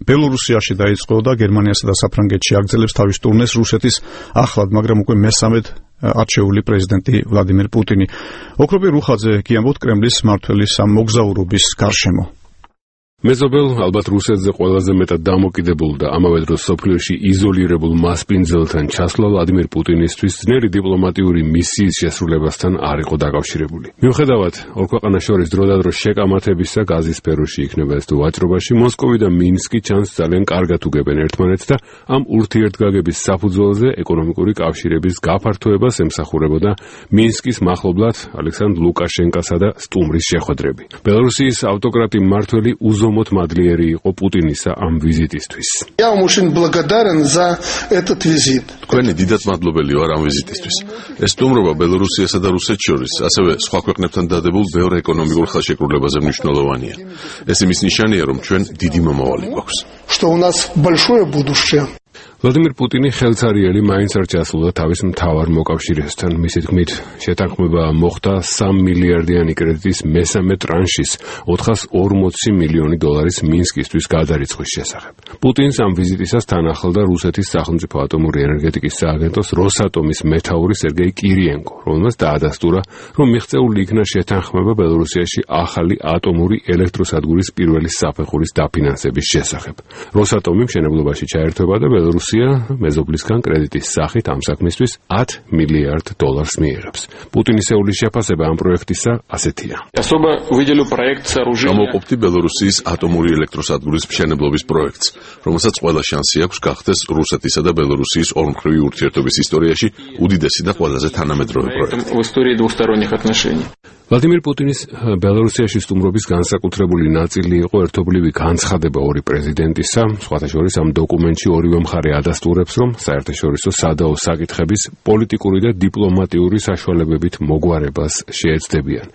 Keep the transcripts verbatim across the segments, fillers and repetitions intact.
ბელორუსიაში დაიწყო და გერმანიასა და საფრანგეთში აგრძელებს თავის ტურნეს რუსეთის ახლად, მაგრამ უკვე მესამედ არჩეული პრეზიდენტი ვლადიმერ პუტინი. ოქროპი რუხაძე კი ამბობთ კრემლის მმართველის ამ მოგზაურობის გარშემო. მეზობელ ალბათ რუსეთზე ყველაზე მეტად დამოკიდებულ და ამავე დროს სოფლიოში იზოლირებულ მასპინძელთან ჩასვლა ვლადიმერ პუტინისთვის ძნელი დიპლომატიური მისიის შესრულებასთან არ იყო დაკავშირებული. მიუხედავად ორ ქვეყანას შორის დროდადრო შეკამათებისა გაზის სფეროში იქნება ეს თუ ვაჭრობაში, მოსკოვი და მინსკი ჩანს ძალიან კარგად უგებენ ერთმანეთს და ამ ურთიერთგაგების საფუძველზე ეკონომიკური კავშირების გაფართოებას ემსახურებოდა მინსკის მახლობლად ალექსანდრ ლუკაშენკასა და სტუმრის შეხვედრები. ბელორუსიის ავტოკრატი მმართველი უზომოდ მადლიერი იყო პუტინისა ამ ვიზიტისთვის. Я вам очень благодарен за этот визит. თქვენი დიდად მადლობელი ვარ ამ ვიზიტისთვის. ეს სტუმრობა ბელორუსიასა და რუსეთს შორის, ასევე სხვა ქვეყნებთან დადებულ ბევრ ეკონომიკურ ხელშეკრულებაზე მნიშვნელოვანია. ეს იმის ნიშანია, რომ ჩვენ დიდი მომავალი გვაქვს. Что у нас большое будущее. ვლადიმერ პუტინი ხელცარიელი მაინც არ ჩასულა თავის მთავარ მოკავშირესთან. მისი თქმით, შეთანხმება მოხდა სამ მილიარდიანი კრედიტის მესამე ტრანშის ოთხას ორმოცი მილიონი დოლარის მინსკისთვის გადარიცხვის შესახებ. პუტინს ამ ვიზიტისას თან ახლდა რუსეთის სახელმწიფო ატომური ენერგეტიკის სააგენტოს როსატომის მეთაური სერგეი კირიენკო, რომელმაც დაადასტურა, რომ მიღწეული იქნა შეთანხმება ბელორუსიაში ახალი ატომური ელექტროსადგურის პირველი საფეხურის დაფინანსების შესახებ. როსატომი მშენებლობაში ჩაერთვება და ბელორუსია მეზობლისგან კრედიტის სახით ამ საქმისთვის ათ მილიარდ დოლარს მიიღებს. პუტინის ეულის შეფასება ამ პროექტისა ასეთია. გამოვყოფდი ბელორუსიის ატომური ელექტროსადგურის მშენებლობის პროექტს, რომელსაც ყველა შანსი აქვს გახდეს რუსეთისა და ბელორუსიის ორმხრივი ურთიერთობის ისტორიაში უდიდესი და ყველაზე თანამედროვე პროექტი. ვლადიმერ პუტინის ბელორუსიაში სტუმრობის განსაკუთრებული ნაწილი იყო ერთობლივი განცხადება ორი პრეზიდენტისა. სხვათა შორის ამ დოკუმენტში ორივე მხარე ადასტურებს, რომ საერთაშორისო სადაო საკითხების პოლიტიკური და დიპლომატიური საშუალებებით მოგვარებას შეეცდებიან.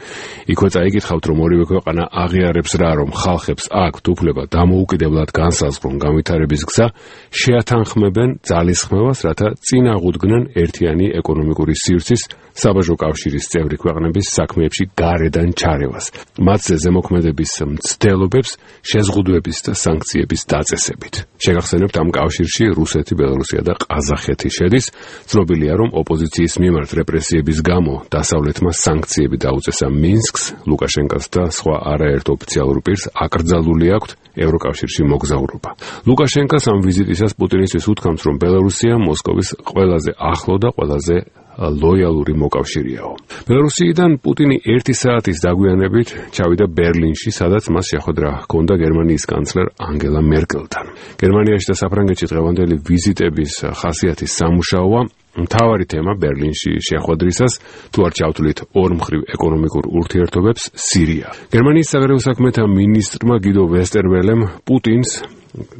იქვე წაიკითხავთ, რომ ორივე ქვეყანა აღიარებს რა, რომ ხალხებს აქვთ უფლება დამოუკიდებლად განსაზღვრონ განვითარების გზა, შეათანხმებენ ძალისხმევას, რათა წინ აღუდგნენ ერთიანი ეკონომიკური სივრცის საბაჟო კავშირის წევრი ქვეყნების საქმეებში გარედან ჩარევას, მათზე ზემოქმედების მცდელობებს შეზღუდვების და სანქციების დაწესებით. შეგახსენებთ, ამ კავშირში რუსეთი, ბელორუსია და ყაზახეთი შედის. ცნობილია, რომ ოპოზიციის მიმართ რეპრესიების გამო დასავლეთმა სანქციები დაუწესა მინსკს, ლუკაშენკას და სხვა არაერთ ოფიციალურ პირს აკრძალული აქვთ ევროკავშირში მოგზაურობა. ლუკაშენკას ამ ვიზიტისას პუტინისთვის უთქვამს, რომ ბელორუსია მოსკოვის ყველაზე ახლო და ყველაზე ლოიალური მოკავშირეაო. ბელორუსიიდან პუტინი ერთი საათის დაგვიანებით ჩავიდა ბერლინში, სადაც მას შეხვედრა ჰქონდა გერმანიის კანცლერ ანგელა მერკელთან. გერმანიაში და საფრანგეთში დღევანდელი ვიზიტების ხასიათის სამუშაოა. მთავარი თემა ბერლინში შეხვედრისას, თუ არ ჩავთვლით ორმხრივ ეკონომიკურ ურთიერთობებს, სირია. გერმანიის საგარეო საქმეთა მინისტრმა გიდო ვესტერველემ პუტინს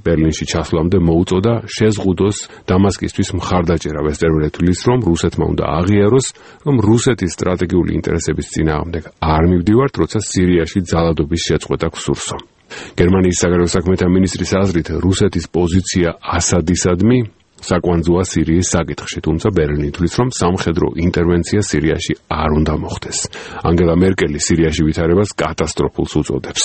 ბერლინში ჩასვლამდე მოუწოდა შეზღუდოს დამასკისთვის მხარდაჭერა. ვესტერველე თვლის, რომ რუსეთმა უნდა აღიაროს, რომ რუსეთის სტრატეგიული ინტერესების წინააღმდეგ არ მივდივართ, როცა სირიაში ძალადობის შეწყვეტა გვსურსო. გერმანიის საგარეო საქმეთა მინისტრის აზრით, რუსეთის პოზიცია ასადისადმი საკვანძოა სირიის საკითხში, თუმცა ბერლინი თვლის, რომ სამხედრო ინტერვენცია სირიაში არ უნდა მოხდეს. ანგელა მერკელი სირიაში ვითარებას კატასტროფულს უწოდებს.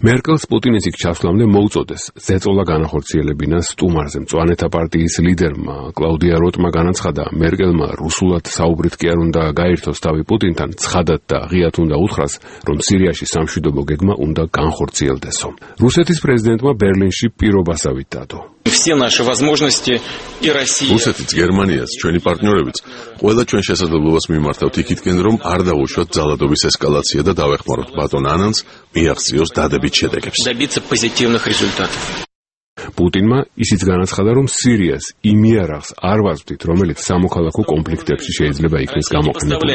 მერკელს პუტინის იქ ჩასვლამდე მოუწოდეს ზეწოლა განახორციელებინა სტუმარზე. მწვანეთა პარტიის ლიდერმა კლაუდია როტმა განაცხადა, მერკელმა რუსულად საუბრით კი არ უნდა გაერთოს თავი პუტინთან, ცხადად და ღიად უნდა უთხრას, რომ სირიაში სამშვიდობო გეგმა უნდა განხორციელდესო. რუსეთის პრეზიდენტმა ბერლინში პირობასავით დადო. რუსეთიც, გერმანიაც, ჩვენი პარტნიორებიც, ყველა ჩვენ შესაძლებლობას მიმართავთ იქითკენ, რომ არ დავუშვათ ძალადობის ესკალაცია და დავეხმაროთ ბატონ ანანს მიაღწიოს დადებით შედეგებს. პუტინმა ისიც განაცხადა, რომ სირიას იმ იარაღს არ ვაზრდით, რომელიც სამოქალაქო კონფლიქტებში შეიძლება იქნეს გამოყენებული.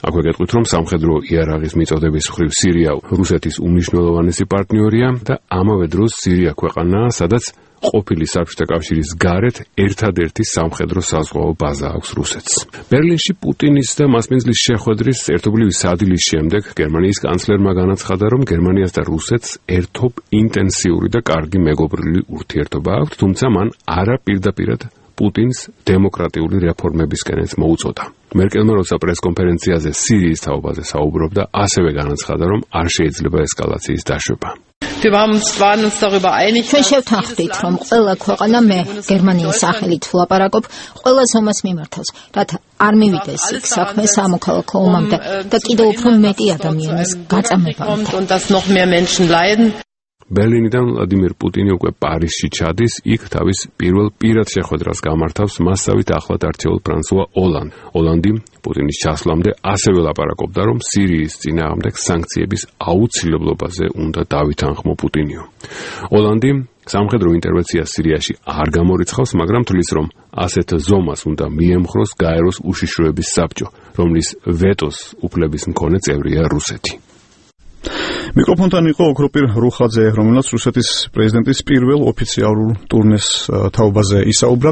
აქვე გეტყვით, რომ სამხედრო იარაღის მიწოდების მხრივ სირია რუსეთის უმნიშვნელოვანესი პარტნიორია და ამავე დროს სირია ქვეყანაა, სადაც ყოფილი საბჭოთა კავშირის გარეთ ერთადერთი სამხედრო საზღვაო ბაზა აქვს რუსეთს. ბერლინში პუტინის და მასპინძლის შეხვედრის ერთობლივი სადილის შემდეგ გერმანიის კანცლერმა განაცხადა, რომ გერმანიას და რუსეთს ერთობ ინტენსიური და კარგი მეგობრული ურთიერთობა აქვთ, თუმცა მან არა პირდაპირად პუტინს დემოკრატიული რეფორმებისკენაც მოუწოდა. მერკელმა როცა პრესკონფერენციაზე სირიის თაობაზე საუბრობდა, ასევე განაცხადა, რომ არ შეიძლება ესკალაციის დაშვება. ჩვენ შევთანხმდით, რომ ყველა ქვეყანა მე გერმანიის სახელით ვლაპარაკობ, ყველა ზომას მიმართავს, რათა არ მივიდეს იქ საქმე სამოქალაქო ომამდე და კიდევ უფრო მეტი ადამიანის გაწამებამდე. ბერლინიდან ვლადიმერ პუტინი უკვე პარიზში ჩადის, იქ თავის პირველ პირად შეხვედრას გამართავს მასსავით ახლად არჩეულ ფრანსუა ოლანდ. ოლანდი პუტინის ჩასვლამდე ასევე ლაპარაკობდა, რომ სირიის წინააღმდეგ სანქციების აუცილებლობაზე უნდა დავითანხმო პუტინიო. ოლანდი სამხედრო ინტერვენციას სირიაში არ გამორიცხავს, მაგრამ თვლის, რომ ასეთ ზომას უნდა მიემხროს გაეროს უშიშროების საბჭო, რომლის ვეტოს უფლების მქონე წევრია რუსეთი. მიკროფონთან იყო ოქროპირ რუხაძე, რომელსაც რუსეთის პრეზიდენტის პირველ ოფიციალურ ტურნეს თაობაზე ისაუბრა.